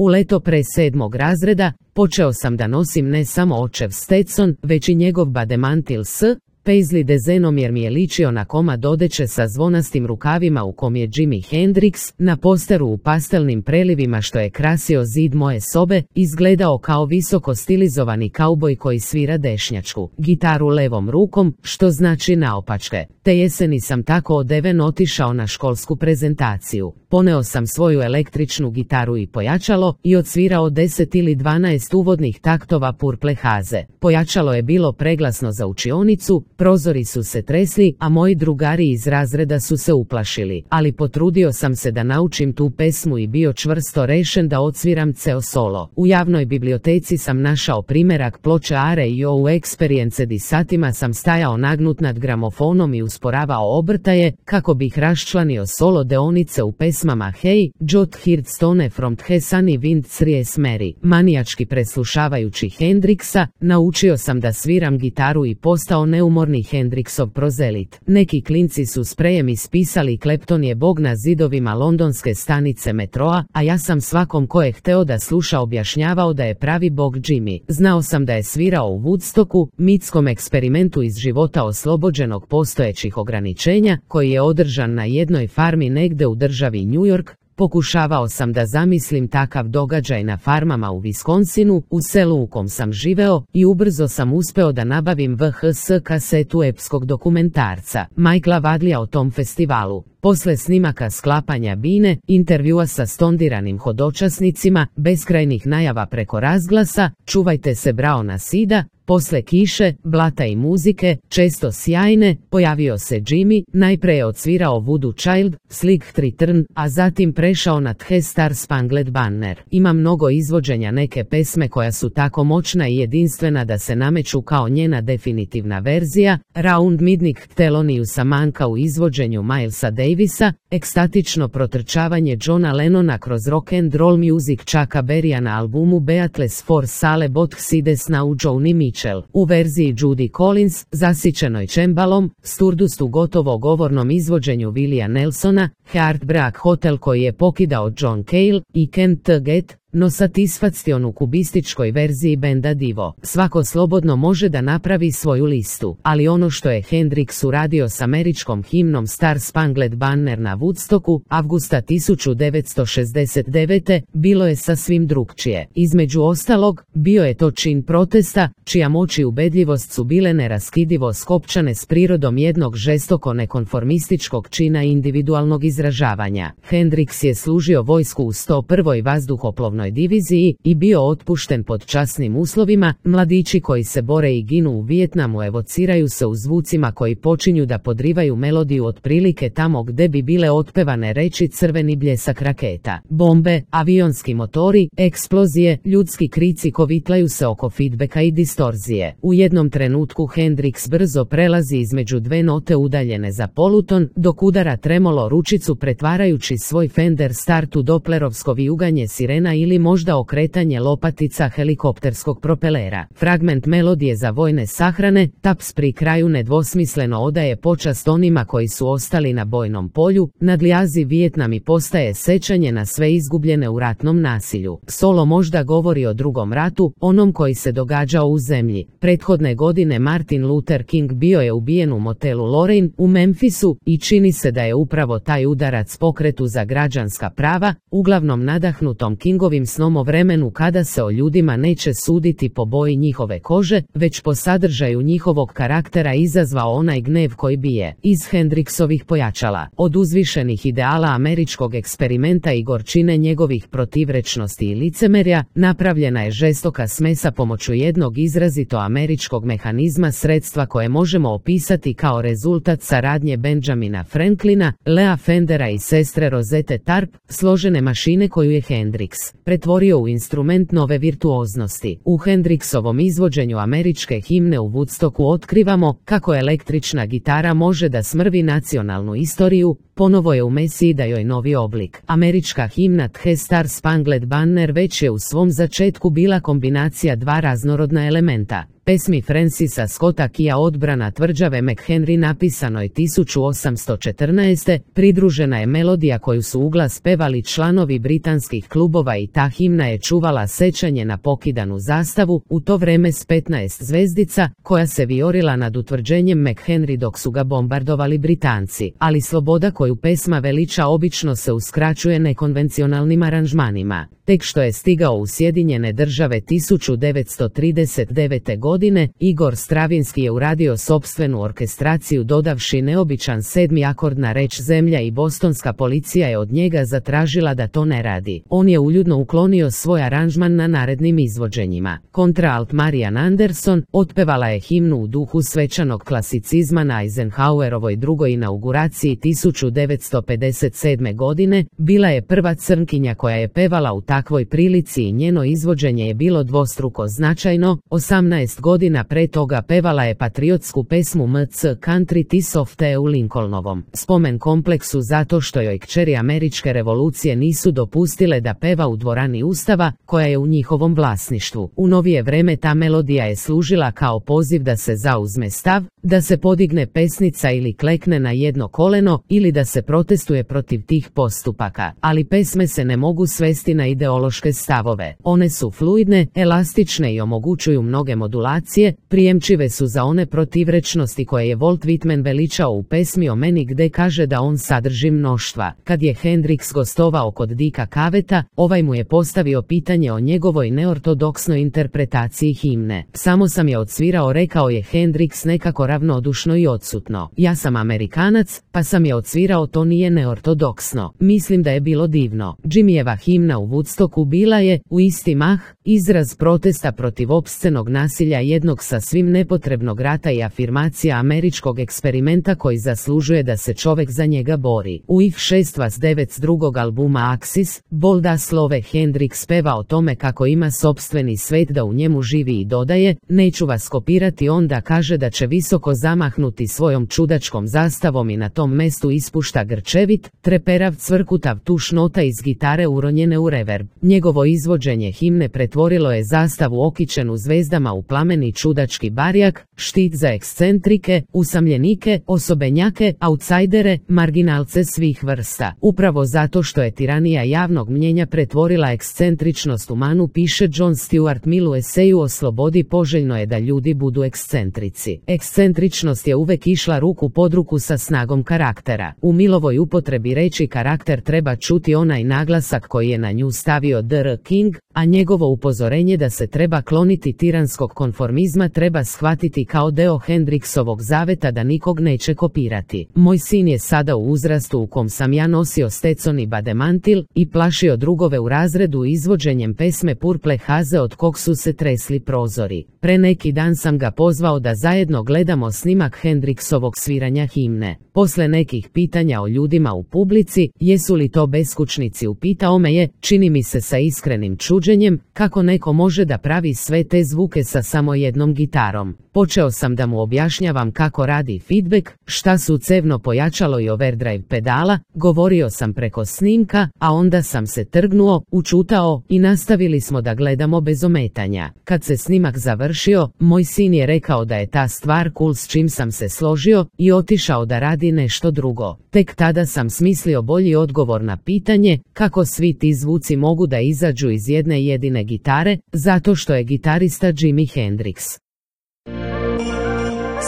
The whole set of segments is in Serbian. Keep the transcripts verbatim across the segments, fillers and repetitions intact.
U leto pre sedmog razreda počeo sam da nosim ne samo očev Stetson, već i njegov bademantil s Paisley dezenom jer mi je ličio na komad odeće sa zvonastim rukavima u kom je Jimi Hendrix, na posteru u pastelnim prelivima što je krasio zid moje sobe, izgledao kao visoko stilizovani kauboj koji svira dešnjačku gitaru levom rukom, što znači naopačke. Te jeseni sam tako odeven otišao na školsku prezentaciju. Poneo sam svoju električnu gitaru i pojačalo i odsvirao deset ili dvanaest uvodnih taktova Purple Haze. Pojačalo je bilo preglasno za učionicu, prozori su se tresli, a moji drugari iz razreda su se uplašili, ali potrudio sam se da naučim tu pesmu i bio čvrsto rešen da odsviram ceo solo. U javnoj biblioteci sam našao primerak ploče Are i O Experience i satima sam stajao nagnut nad gramofonom i usporavao obrtaje kako bih raščlanio solo deonice u pesmama Hey, Jot Heard Stone from The Sunny Wind Series Mary. Manijački preslušavajući Hendrixa, naučio sam da sviram gitaru i postao neumorni Hendrixov prozelit. Neki klinci su sprejem ispisali Clapton je bog na zidovima londonske stanice metroa, a ja sam svakom ko je hteo da sluša objašnjavao da je pravi bog Jimmy. Znao sam da je svirao u Woodstocku, mitskom eksperimentu iz života oslobođenog postojećih ograničenja, koji je održan na jednoj farmi negde u državi New York. Pokušavao sam da zamislim takav događaj na farmama u Wisconsinu, u selu u kom sam živeo, i ubrzo sam uspeo da nabavim V H S kasetu epskog dokumentarca Michaela Wadleya o tom festivalu. Posle snimaka sklapanja bine, intervjua sa stondiranim hodočasnicima, beskrajnih najava preko razglasa, čuvajte se Braona Sida, posle kiše, blata i muzike, često sjajne, pojavio se Jimmy, najpre je odsvirao Voodoo Child, Slick Return, a zatim prešao na The Star Spangled Banner. Ima mnogo izvođenja neke pesme koja su tako moćna i jedinstvena da se nameću kao njena definitivna verzija, Round Midnight Theloniousa Monka u izvođenju Milesa Davisa, ekstatično protrčavanje Johna Lennona kroz rock and roll music Chucka Berrya na albumu Beatles for Sale Both Sides na u Joni Mitchell, u verziji Judy Collins, zasićenoj čembalom, Stardust u gotovo govornom izvođenju Willija Nelsona, Heartbreak Hotel koji je pokidao John Cale i Can't Get no Satisfaction u kubističkoj verziji benda Divo. Svako slobodno može da napravi svoju listu, ali ono što je Hendrix uradio s američkom himnom Star Spangled Banner na Woodstocku, avgusta tisuću devetsto šezdeset devete bilo je sasvim drukčije. Između ostalog, bio je to čin protesta, čija moć i ubedljivost su bile neraskidivo skopčane s prirodom jednog žestoko nekonformističkog čina individualnog izražavanja. Hendrix je služio vojsku u sto prvoj vazduhoplovnoj diviziji i bio otpušten pod časnim uslovima. Mladići koji se bore i ginu u Vijetnamu evociraju se u zvucima koji počinju da podrivaju melodiju otprilike tamo gde bi bile otpevane reči crveni bljesak raketa, bombe, avionski motori, eksplozije, ljudski krici kovitlaju se oko feedbacka i distorzije. U jednom trenutku Hendrix brzo prelazi između dve note udaljene za poluton, dok udara tremolo ručicu pretvarajući svoj Fender Start u doplerovsko vijuganje sirena ili možda okretanje lopatica helikopterskog propelera. Fragment melodije za vojne sahrane, taps pri kraju nedvosmisleno odaje počast onima koji su ostali na bojnom polju, nadljazi Vijetnam i postaje sećanje na sve izgubljene u ratnom nasilju. Solo možda govori o drugom ratu, onom koji se događao u zemlji. Prethodne godine Martin Luther King bio je ubijen u motelu Lorraine u Memphisu i čini se da je upravo taj udarac pokretu za građanska prava, uglavnom nadahnutom Kingovim snom o vremenu kada se o ljudima neće suditi po boji njihove kože, već po sadržaju njihovog karaktera izazvao onaj gnev koji bije iz Hendrixovih pojačala. Od uzvišenih ideala američkog eksperimenta i gorčine njegovih protivrečnosti i licemerja, napravljena je žestoka smesa pomoću jednog izrazito američkog mehanizma, sredstva koje možemo opisati kao rezultat saradnje Benjamina Franklina, Lea Fendera i sestre Rosette Tarp, složene mašine koju je Hendrix pretvorio u instrument nove virtuoznosti. U Hendrixovom izvođenju američke himne u Woodstocku otkrivamo kako električna gitara može da smrvi nacionalnu istoriju, ponovo je u Mesiji da joj novi oblik. Američka himna The Star Spangled Banner već je u svom začetku bila kombinacija dva raznorodna elementa. pesmi Francisa Scotta Keya Odbrana tvrđave McHenry napisanoj tisuću osamsto četrnaeste. pridružena je melodija koju su uglas pevali članovi britanskih klubova i ta himna je čuvala sećanje na pokidanu zastavu, u to vreme s petnaest zvezdica, koja se vijorila nad utvrđenjem McHenry dok su ga bombardovali Britanci, ali sloboda koju pesma veliča obično se uskraćuje nekonvencionalnim aranžmanima. Tek što je stigao u Sjedinjene Države tisuću devetsto trideset devete. godine, Igor Stravinski je uradio sopstvenu orkestraciju dodavši neobičan sedmi akord na reč Zemlja i bostonska policija je od njega zatražila da to ne radi. On je uljudno uklonio svoj aranžman na narednim izvođenjima. Kontraalt Marian Anderson otpevala je himnu u duhu svečanog klasicizma na Eisenhowerovoj drugoj inauguraciji tisuću devetsto pedeset sedme. godine, bila je prva crnkinja koja je pevala u takvoj prilici i njeno izvođenje je bilo dvostruko značajno. osamnaest godina pre toga pevala je patriotsku pesmu M C Country Tis of the u Lincolnovom spomen kompleksu zato što joj kćeri američke revolucije nisu dopustile da peva u dvorani Ustava, koja je u njihovom vlasništvu. U novije vreme ta melodija je služila kao poziv da se zauzme stav, da se podigne pesnica ili klekne na jedno koleno ili da se protestuje protiv tih postupaka, ali pesme se ne mogu svesti na ideološke stavove. One su fluidne, elastične i omogućuju mnoge modulacije, prijemčive su za one protivrečnosti koje je Walt Whitman veličao u pesmi o meni gde kaže da on sadrži mnoštva. Kad je Hendrix gostovao kod Dicka Cavetta, ovaj mu je postavio pitanje o njegovoj neortodoksnoj interpretaciji himne. Samo sam je odsvirao, rekao je Hendrix nekako ravnodušno i odsutno. Ja sam Amerikanac, pa sam je odsvirao, to nije neortodoksno. Mislim da je bilo divno. Jimmyjeva himna u Woodstocku bila je, u isti mah, izraz protesta protiv opscenog nasilja jednog sasvim nepotrebnog rata i afirmacija američkog eksperimenta koji zaslužuje da se čovek za njega bori. U ih šest vas devet s drugog albuma Axis, Bolda Slove Hendrix peva o tome kako ima sopstveni svet, da u njemu živi i dodaje, neću vas kopirati, onda kaže da će visoko zamahnuti svojom čudačkom zastavom i na tom mestu ispušta grčevit, treperav cvrkutav tuš nota iz gitare uronjene u reverb. Njegovo izvođenje himne pretvorilo je zastavu okićenu zvezdama u plameni čudački barjak, štit za ekscentrike, usamljenike, osobenjake, autsajdere, marginalce svih vrsta. Upravo zato što je tiranija javnog mnjenja pretvorila ekscentričnost u manu, piše John Stuart Mill u eseju o slobodi, poželjno je da ljudi budu ekscentrici. Ekscentričnost je uvek išla ruku pod ruku sa snagom karaktera. U Millovoj upotrebi reči karakter treba čuti onaj naglasak koji je na nju stavio D R King, a njegovo upozorenje da se treba kloniti tiranskog konformizma treba shvatiti kao deo Hendrixovog zaveta da nikog neće kopirati. Moj sin je sada u uzrastu u kom sam ja nosio Stetson i bademantil i plašio drugove u razredu izvođenjem pesme Purple Haze od kog su se tresli prozori. Pre neki dan sam ga pozvao da zajedno gledamo snimak Hendrixovog sviranja himne. Posle nekih pitanja o ljudima u publici, jesu li to beskućnici, upitao me je, čini mi se sa iskrenim čuđenjem, kako neko može da pravi sve te zvuke sa samo jednom gitarom. Počeo sam da mu objašnjavam kako radi feedback, šta su cevno pojačalo i overdrive pedala, govorio sam preko snimka, a onda sam se trgnuo, učutao i nastavili smo da gledamo bez ometanja. Kad se snimak završio, moj sin je rekao da je ta stvar cool, s čim sam se složio, i otišao da radi nešto drugo. Tek tada sam smislio bolji odgovor na pitanje kako svi ti zvuci mogu da izađu iz jedne jedine gitare, zato što je gitarista Jimi Hendrix.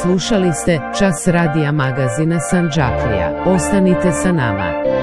Slušali ste Čas radija magazina Sandžaklija. Ostanite sa nama.